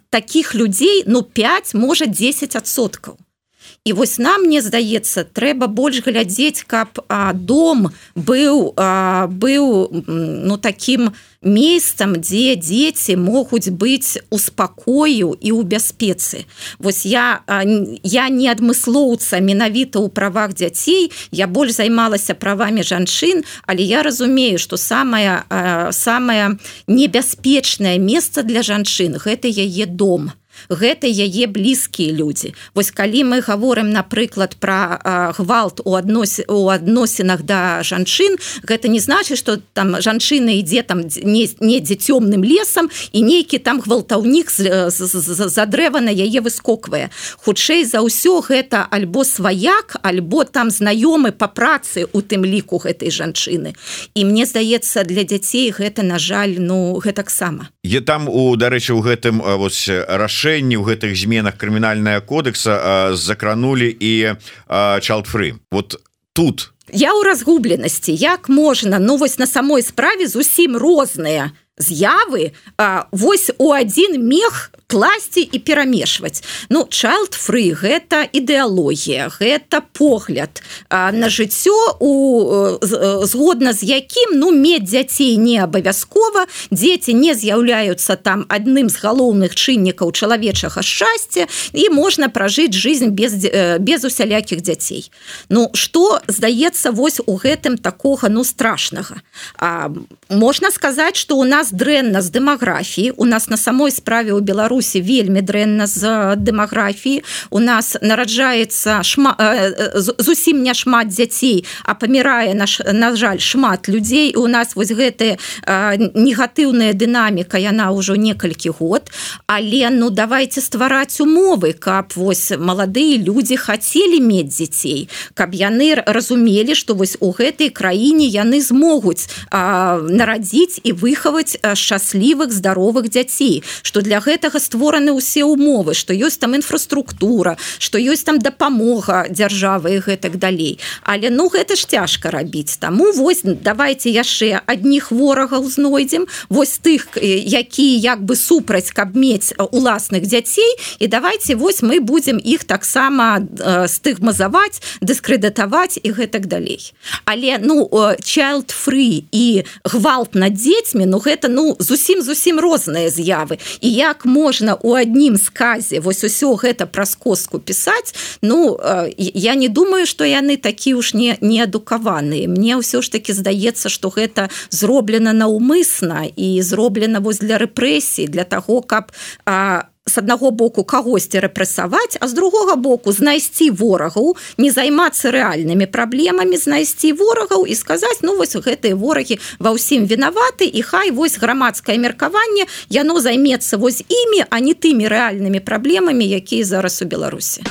Такіх людзей 5, можа 10%. І вось нам, мне здаецца, трэба больш глядзець, каб дом быў такім месцам, дзе дзеці могуць быць у спакою і ў бяспецы. Вось я не адмыслоўца менавіта ў правах дзяцей, я больш займалася правамі жанчын, але я разумею, што самае небяспечнае месца для жанчын – гэта яе дом. Гэта яе блізкія людзі. Вось калі мы гаворым, напрыклад, пра гвалт у адносінах да жанчын, гэта не значыць, што там жанчына ідзе там недзе цёмным лесам і нейкі там гвалтаўнік за дрэва на яе выскоквае. Хутчэй за ўсё гэта альбо сваяк, альбо там знаёмы па працы у тым ліку гэтай жанчыны. І мне здаецца, для дзяцей гэта, на жаль, гэтаксама. Там, дарэчы, у гэтым рашэнні, у гэтых зменах крымінальнага кодекса закранулі і child-free. Вот тут. Я ў разгубленасці. Як можна, вось на самой справе зусім розныя з'явы вось у адзін мех класці і перамешваць. Ну, child-free – гэта ідэалогія, гэта погляд на жыццё, згодна з якім, ну, мець дзяцей не абавязкова, дзеці не з'яўляюцца там адным з галоўных чыннікаў чалавечага шчасця, і можна пражыць жизнь без усялякіх дзяцей. Ну, што здаецца вось у гэтым такога, ну, страшнага? Можна сказаць, што у нас дрэнна з дэмаграфіі, у нас на самой справе ў Беларусі вельмі дрэнна з дэмаграфіі, у нас нараджаецца зусім не шмат дзяцей, а памірае, на жаль, шмат людзей, і у нас вось гэтая негатыўная дынаміка, яна ўжо некалькі год, але, ну, давайте ствараць умовы, каб вось маладыя людзі хацелі мець дзяцей, каб яны разумелі, што вось у гэтай краіне яны змогуць нарадзіць і выхаваць шчаслівых, здаровых дзяцей, што для гэтага створаны ўсе умовы, што ёсць там інфраструктура, што ёсць там дапамога дзяржавы і гэтак далей. Але, ну, гэта ж цяжка рабіць. Таму вось давайте яшчэ адних ворагаў знойдзем, вось тых, якія як бы супраць, каб мець уласных дзяцей, і давайте вось мы будзем іх таксама стыгмазаваць, дыскрэдытаваць і гэтак далей. Але, ну, child-free і гвалт над дзецьмі, ну, гэта, ну, зусім розныя з'явы. І як можна у адным сказе вось усё гэта праз костку пісаць, ну, я не думаю, што яны такі уж неадукаваныя. Мне ўсё ж таки здаецца, што гэта зроблена наўмысна і зроблена вось для рэпрэсій, для таго, каб з аднаго боку кагосьці рэпрэсаваць, а з другога боку знайсці ворагаў, не займацца рэальнымі праблемамі, знайсці ворагаў і сказаць, ну, вось гэтыя ворагі ва ўсім вінаваты, і хай вось грамадскае меркаванне, яно займецца вось імі, а не тымі рэальнымі праблемамі, якія зараз у Беларусі.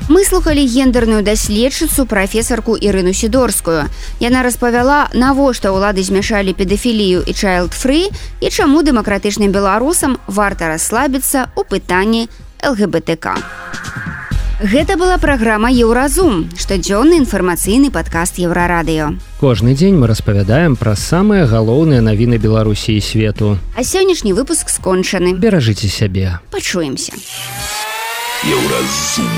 Мы слухали гендерную даследчыцу прафесарку Ірыну Сідорскую. Яна распавяла, навошта ўлады змяшалі педафілію і child-free і чаму дэмакратычным беларусам варта расслабіцца ў пытанні ЛГБТК. Гэта была праграма «Еўразум», штодзённы інфармацыйны падкаст Еўрарадыё. Кожны дзень мы распавядаем пра самыя галоўныя навіны Беларусі і свету. А сённяшні выпуск скончаны. Беражыце сябе. Пачуемся. Еўразум.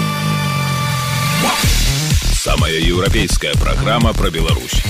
Самая еўрапейская программа про Беларусь.